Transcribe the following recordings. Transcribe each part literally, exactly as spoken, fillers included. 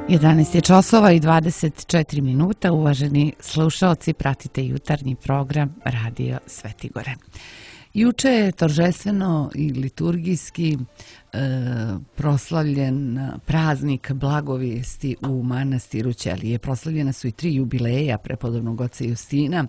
jedanaest je časova i dvadeset četiri minuta. Uvaženi slušaoci, pratite jutarnji program Radio Svetigore. Juče je торжествено i liturgijski e, proslavljen praznik blagovijesti u manastiru Ćelije. Proslavljena su i tri jubileja prepodobnog oca Justina.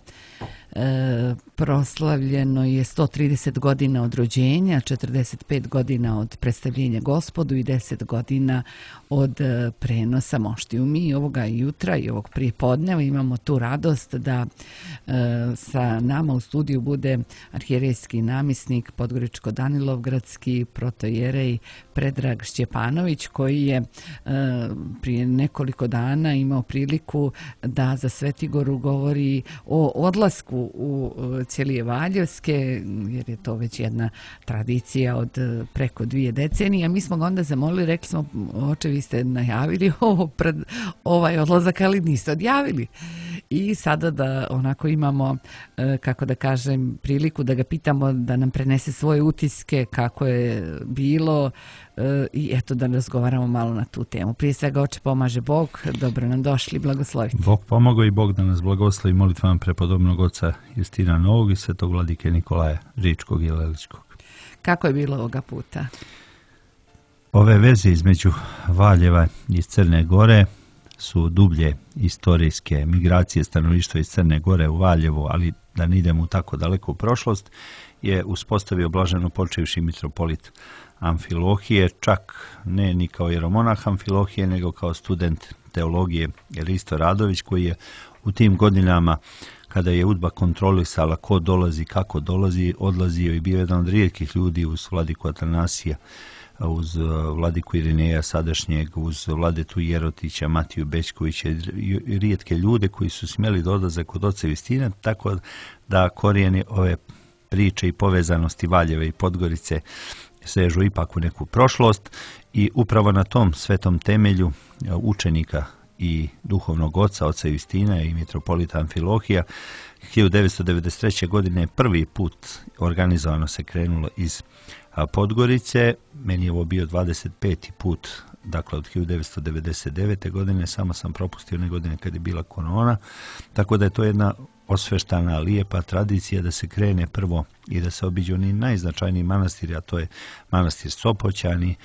E, proslavljeno je sto trideset godina od rođenja, četrdeset pet godina od predstavljenja Gospodu i deset godina od e, prenosa moštiju. Mi ovoga jutra i ovog prijepodneva imamo tu radost da e, sa nama u studiju bude arhijerejski namisnik Podgoričko-Danilovgradski protojerej Predrag Šćepanović, koji je e, prije nekoliko dana imao priliku da za Svetigoru govori o odlasku u Ćelije Valjevske, jer je to već jedna tradicija od preko dvije decenije. Mi smo ga onda zamolili, rekli smo, oče, vi ste najavili ovo pred ovaj odlazak, ali niste odjavili. I sada da onako imamo, kako da kažem, priliku da ga pitamo da nam prenese svoje utiske, kako je bilo, i eto da razgovaramo malo na tu temu. Prije svega, oče, pomaže Bog, dobro nam došli, blagoslovite. Bog pomogao i Bog da nas blagoslovi molitvama prepodobnog oca Justina Novog i svetog vladike Nikolaja Ričkog i Leličkog. Kako je bilo ovoga puta? Ove veze između Valjeva i Crne Gore su dublje istorijske. Migracije stanovništva iz Crne Gore u Valjevo, ali da ne idemo tako daleko u prošlost, je uspostavio blaženo počevši mitropolit Amfilohije, čak ne ni kao jeromonah Amfilohije, nego kao student teologije Risto Radović, koji je u tim godinama, kada je UDBA kontrolisala ko dolazi, kako dolazi, odlazio i bio jedan od rijetkih ljudi uz vladiku Atanasija, uz vladiku Irineja sadašnjeg, uz vladetu Jerotića, Matiju Bećkovića i rijetke ljude koji su smjeli da odlaze kod oca Justina, tako da korijeni ove priče i povezanosti Valjeva i Podgorice sežu ipak u neku prošlost i upravo na tom svetom temelju učenika i duhovnog oca, oca Justina i mitropolita Amfilohija, hiljadu devetsto devedeset treće. godine prvi put organizovano se krenulo iz Podgorice. Meni je ovo bio dvadeset peti put, dakle od hiljadu devetsto devedeset devete. godine, samo sam propustio one godine kad je bila korona, tako da je to jedna osveštana, lijepa tradicija da se krene prvo i da se obiđu oni najznačajniji manastiri, a to je manastir Sopoćani,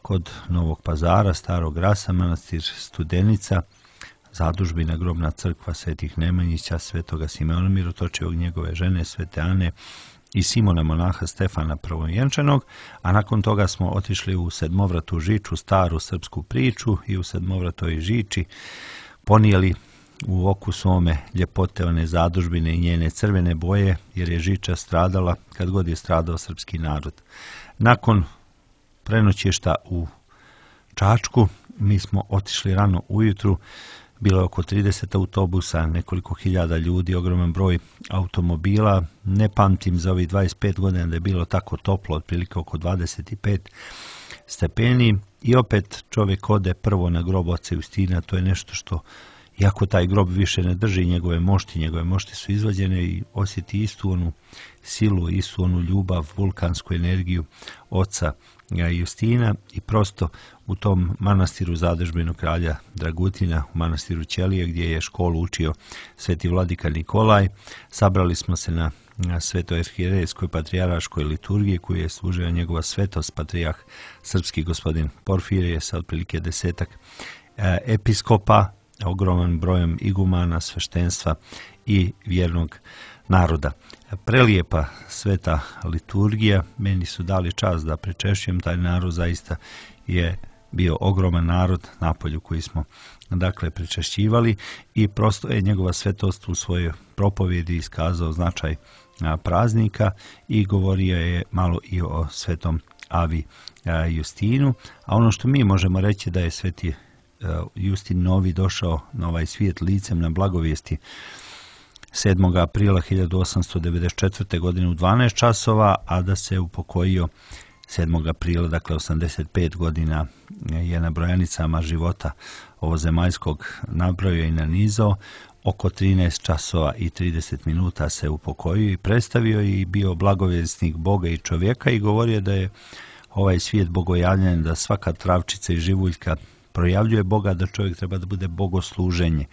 kod Novog Pazara, Starog Rasa, manastir Studenica, zadužbina grobna crkva Svetih Nemanjića, Svetoga Simeona Mirotočivog, njegove žene Svete Ane i Simona monaha Stefana Prvovjenčanog, a nakon toga smo otišli u Sedmovratu Žiču, staru srpsku priču, i u Sedmovratoj Žiči ponijeli u oku svome ljepote one zadužbine i njene crvene boje, jer je Žiča stradala kad god je stradao srpski narod. Nakon prenoćišta u Čačku mi smo otišli rano ujutru, bilo je oko trideset autobusa, nekoliko hiljada ljudi, ogroman broj automobila. Ne pamtim za ovih dvadeset pet godina da je bilo tako toplo, otprilike oko dvadeset pet stepeni, i opet čovjek ode prvo na grob oca Justina. To je nešto što, iako taj grob više ne drži njegove mošti, njegove mošti su izvađene, i osjeti istu onu silu, istu onu ljubav, vulkansku energiju oca Justina, i prosto u tom manastiru zadužbinu kralja Dragutina, u manastiru Ćelije, gdje je školu učio sveti vladika Nikolaj, sabrali smo se na, na svetoj arhijerejskoj patrijaraškoj liturgiji koju je služio njegova svetost patrijah srpski gospodin Porfirije sa otprilike desetak e, episkopa, ogroman brojem igumana, sveštenstva i vjernog naroda. Prelijepa sveta liturgija, meni su dali čast da pričešćujem taj narod, zaista je bio ogroman narod na polju koji smo dakle pričešćivali, i prosto je njegova svetost u svojoj propovjedi iskazao značaj praznika i govorio je malo i o svetom Avi Justinu, a ono što mi možemo reći da je sveti Justin Novi došao na ovaj svijet licem na blagovijesti sedmog aprila hiljadu osamsto devedeset četvrte. godine u dvanaest časova, a da se upokojio sedmog aprila, dakle osamdeset pet godina je na brojanicama života ovozemaljskog nabrojio i nanizao. Oko trinaest časova i trideset minuta se upokojio i predstavio i bio blagovjesnik Boga i čovjeka, i govorio da je ovaj svijet bogojavljen, da svaka travčica i živuljka projavljuje Boga, da čovjek treba da bude bogosluženje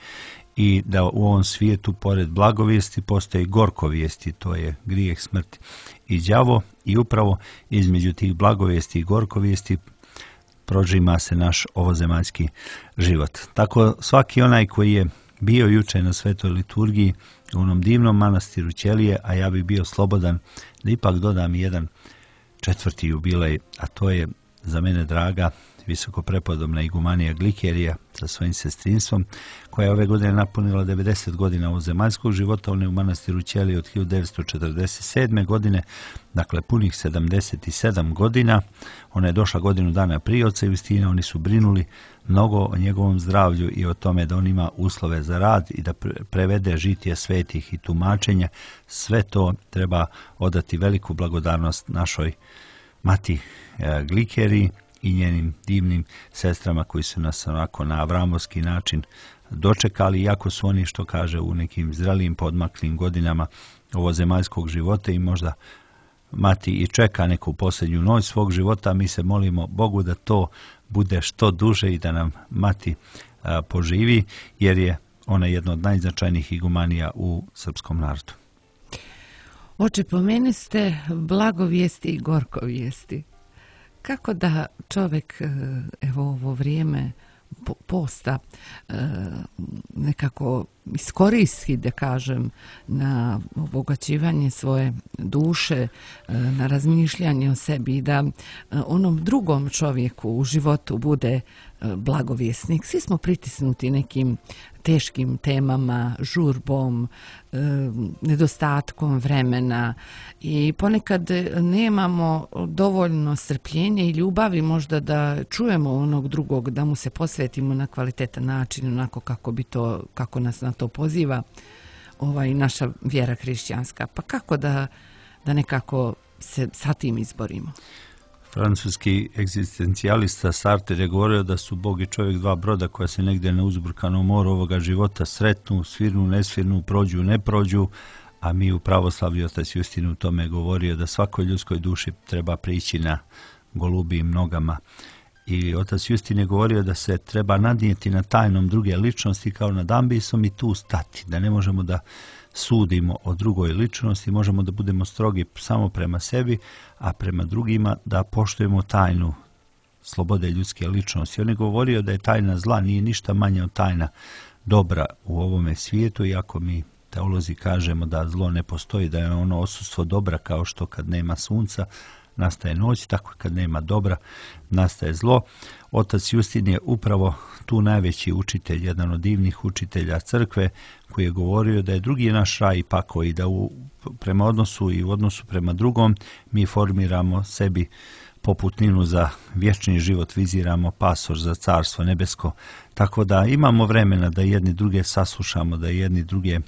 i da u ovom svijetu pored blagovijesti postoje gorkovijesti, to je grijeh, smrt i đavo, i upravo između tih blagovijesti i gorkovijesti prožima se naš ovozemaljski život. Tako svaki onaj koji je bio juče na svetoj liturgiji u onom divnom manastiru Ćelije, a ja bi bio slobodan da ipak dodam jedan četvrti jubilej, a to je za mene draga visoko prepodobna igumanija Glikerija sa svojim sestrinstvom, koja je ove godine napunila devedeset godina ovozemaljskog života. Ona je u manastiru Ćelije od hiljadu devetsto četrdeset sedme. godine, dakle punih sedamdeset sedam godina. Ona je došla godinu dana prije oca Justina. Oni su brinuli mnogo o njegovom zdravlju i o tome da on ima uslove za rad i da prevede žitije svetih i tumačenja. Sve to treba odati veliku blagodarnost našoj mati Glikeriji i njenim divnim sestrama koji su nas onako na avramovski način dočekali, iako su oni, što kaže, u nekim zrelim podmaklim godinama ovozemaljskog života i možda mati i čeka neku posljednju noć svog života. Mi se molimo Bogu da to bude što duže i da nam mati a, poživi, jer je ona jedna od najznačajnijih igumanija u srpskom narodu. Oče, pomeni ste blagovijesti i gorkovijesti. Kako da čovjek, evo ovo vrijeme posta, nekako iskoristi, da kažem, na obogaćivanje svoje duše, na razmišljanje o sebi i da onom drugom čovjeku u životu bude blagovjesnik. Svi smo pritisnuti nekim teškim temama, žurbom, nedostatkom vremena i ponekad nemamo dovoljno strpljenja i ljubavi možda da čujemo onog drugog, da mu se posvetimo na kvalitetan način, onako kako bi to, kako nas na to poziva ovaj, naša vjera hrišćanska. Pa kako da, da nekako se sa tim izborimo? Francuski egzistencijalista Sartre je govorio da su Bog i čovjek dva broda koja se negdje na uzburkanom moru ovoga života sretnu, svirnu, nesvirnu, prođu, ne prođu, a mi u pravoslavlju otac Justin u tome govorio da svakoj ljudskoj duši treba prići na golubijim nogama. I otac Justin je govorio da se treba nadnijeti na tajnom druge ličnosti kao nad ambisom i tu stati, da ne možemo da sudimo o drugoj ličnosti, možemo da budemo strogi samo prema sebi, a prema drugima da poštujemo tajnu slobode ljudske ličnosti. On je govorio da je tajna zla nije ništa manja od tajna dobra u ovome svijetu, iako mi teolozi kažemo da zlo ne postoji, da je ono odsustvo dobra, kao što kad nema sunca nastaje noć, tako kad nema dobra nastaje zlo. Otac Justin je upravo tu najveći učitelj, jedan od divnih učitelja crkve, koji je govorio da je drugi naš raj i pakao i da u, prema odnosu i u odnosu prema drugom mi formiramo sebi poputninu za vječni život, viziramo pasoš za carstvo nebesko. Tako da imamo vremena da jedni druge saslušamo, da jedni druge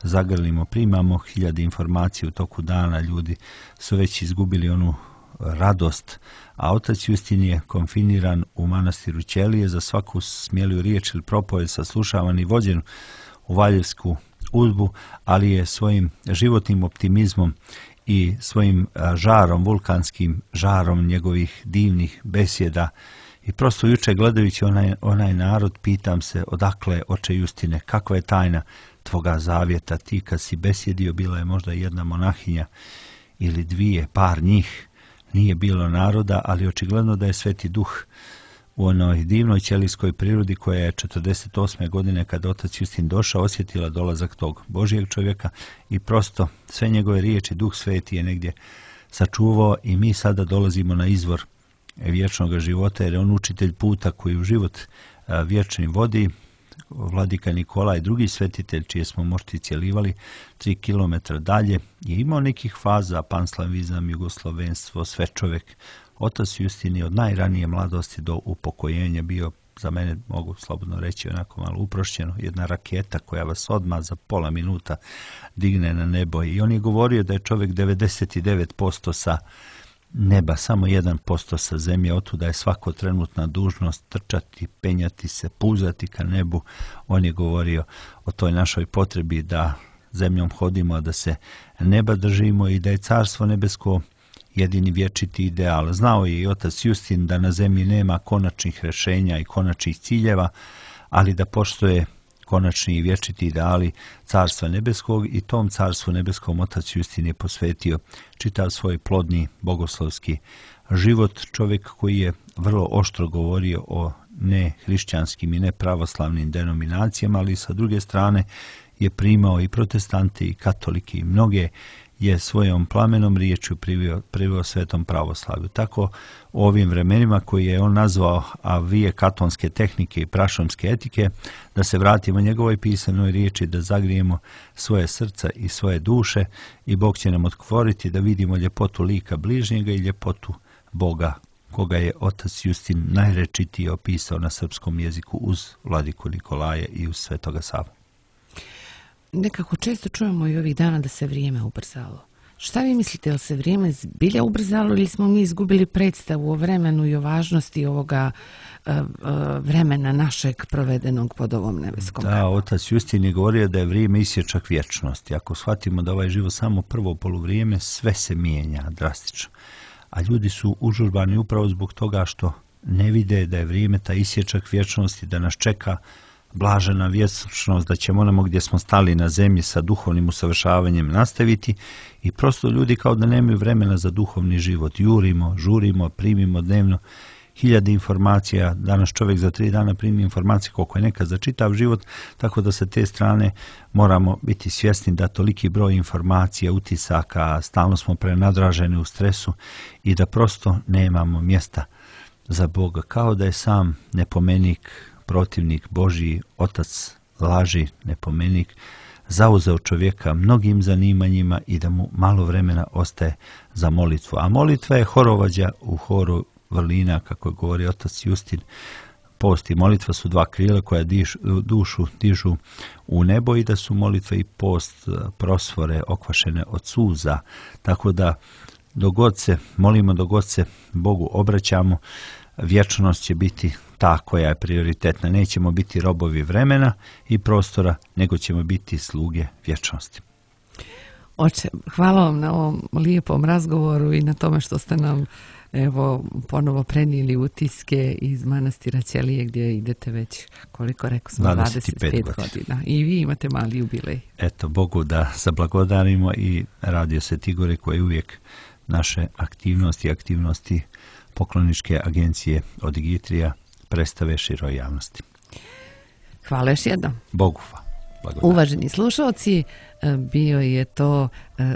zagrlimo, primamo hiljade informacija u toku dana, ljudi su već izgubili onu radost, a otac Justin je konfiniran u manastiru Ćelije, za svaku smjeliju riječ ili propoved saslušavan i vođen u valjevsku udbu, ali je svojim životnim optimizmom i svojim žarom, vulkanskim žarom njegovih divnih besjeda i prosto juče gledajući onaj, onaj narod, pitam se odakle, oče Justine, kakva je tajna tvoga zavjeta? Ti kad si besjedio, bila je možda jedna monahinja ili dvije, par njih, nije bilo naroda, ali očigledno da je Sveti Duh u onoj divnoj ćelijskoj prirodi koja je četrdeset osme godine kada otac Justin došao osjetila dolazak tog Božijeg čovjeka i prosto sve njegove riječi Duh Sveti je negdje sačuvao i mi sada dolazimo na izvor vječnog života, jer je on učitelj puta koji u život vječni vodi. Vladika Nikola i drugi svetitelj čije smo mošti cjelivali tri kilometra dalje je imao nekih faza, panslavizam, jugoslovenstvo, sve čovjek. Otac Justin je od najranije mladosti do upokojenja bio, za mene mogu slobodno reći onako malo uprošćeno, jedna raketa koja vas odmah za pola minuta digne na nebo. I on je govorio da je čovjek devedeset devet posto sa neba, samo jedan posto sa zemlje, otuda je svako trenutna dužnost trčati, penjati se, puzati ka nebu. On je govorio o toj našoj potrebi da zemljom hodimo, a da se neba držimo i da je carstvo nebesko jedini vječiti ideal. Znao je i otac Justin da na zemlji nema konačnih rješenja i konačnih ciljeva, ali da postoje konačni i vječiti ideali Carstva nebeskog i tom Carstvu nebeskom otac Justin je posvetio čitav svoj plodni bogoslovski život. Čovjek koji je vrlo oštro govorio o nehrišćanskim i nepravoslavnim denominacijama, ali sa druge strane je primao i protestante i katolike i mnoge je svojom plamenom riječju privio, privio svetom pravoslavlju. Tako u ovim vremenima koji je on nazvao avije katonske tehnike i prašomske etike, da se vratimo njegovoj pisanoj riječi, da zagrijemo svoje srca i svoje duše i Bog će nam otvoriti da vidimo ljepotu lika bližnjega i ljepotu Boga, koga je otac Justin najrečitije opisao na srpskom jeziku uz vladiku Nikolaja i uz svetoga Savu. Nekako često čujemo i ovih dana da se vrijeme ubrzalo. Šta vi mislite, je li se vrijeme zbilja ubrzalo ili smo mi izgubili predstavu o vremenu i o važnosti ovoga uh, uh, vremena našeg provedenog pod ovom nebeskom Da, kapom? otac Justin je govorio da je vrijeme isječak vječnosti. Ako shvatimo da ovaj život samo prvo poluvrijeme, sve se mijenja drastično. A ljudi su užurbani upravo zbog toga što ne vide da je vrijeme ta isječak vječnosti, da nas čeka blažena vječnost, da ćemo onamo gdje smo stali na zemlji sa duhovnim usavršavanjem nastaviti i prosto ljudi kao da nemaju vremena za duhovni život. Jurimo, žurimo, primimo dnevno hiljade informacija. Danas čovjek za tri dana primi informacije koliko je nekad za čitav život, tako da sa te strane moramo biti svjesni da toliki broj informacija, utisaka, stalno smo prenadraženi u stresu i da prosto nemamo mjesta za Boga. Kao da je sam nepomenik, protivnik Božji, otac laži, nepomenik, zauzeo čovjeka mnogim zanimanjima i da mu malo vremena ostaje za molitvu. A molitva je horovođa u horu vrlina, kako govori otac Justin. Post i molitva su dva krila koja diš, dušu dižu u nebo i da su molitva i post prosvore okvašene od suza. Tako da dogod se molimo, dogod se Bogu obraćamo, vječnost će biti ta koja je prioritetna. Nećemo biti robovi vremena i prostora, nego ćemo biti sluge vječnosti. Oče, hvala vam na ovom lijepom razgovoru i na tome što ste nam evo ponovo prenijeli utiske iz manastira Ćelije gdje idete već, koliko rekao smo, dvadeset pet godina. I vi imate mali jubilej. Eto, Bogu da zablagodarimo i Radio Sveti Gore koji uvijek naše aktivnosti i aktivnosti pokloničke agencije od Digitrija predstave široj javnosti. Hvala još jednom. Bogu blagodarim. Uvaženi slušalci, bio je to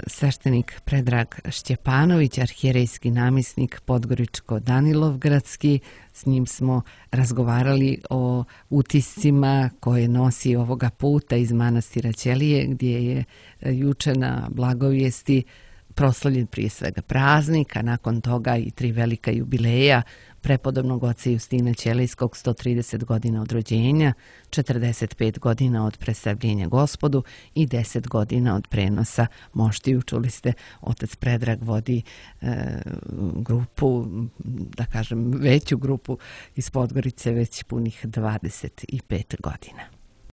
sveštenik Predrag Šćepanović, arhijerejski namjesnik Podgoričko-Danilovgradski. S njim smo razgovarali o utiscima koje nosi ovoga puta iz manastira Ćelije, gdje je juče na blagovijesti proslavljen prije svega praznik, a nakon toga i tri velika jubileja prepodobnog oca Justina Ćelijskog, sto trideset godina od rođenja, četrdeset pet godina od predstavljenja Gospodu i deset godina od prenosa moštiju. Čuli ste, otac Predrag vodi e, grupu, da kažem veću grupu iz Podgorice već punih dvadeset pet godina.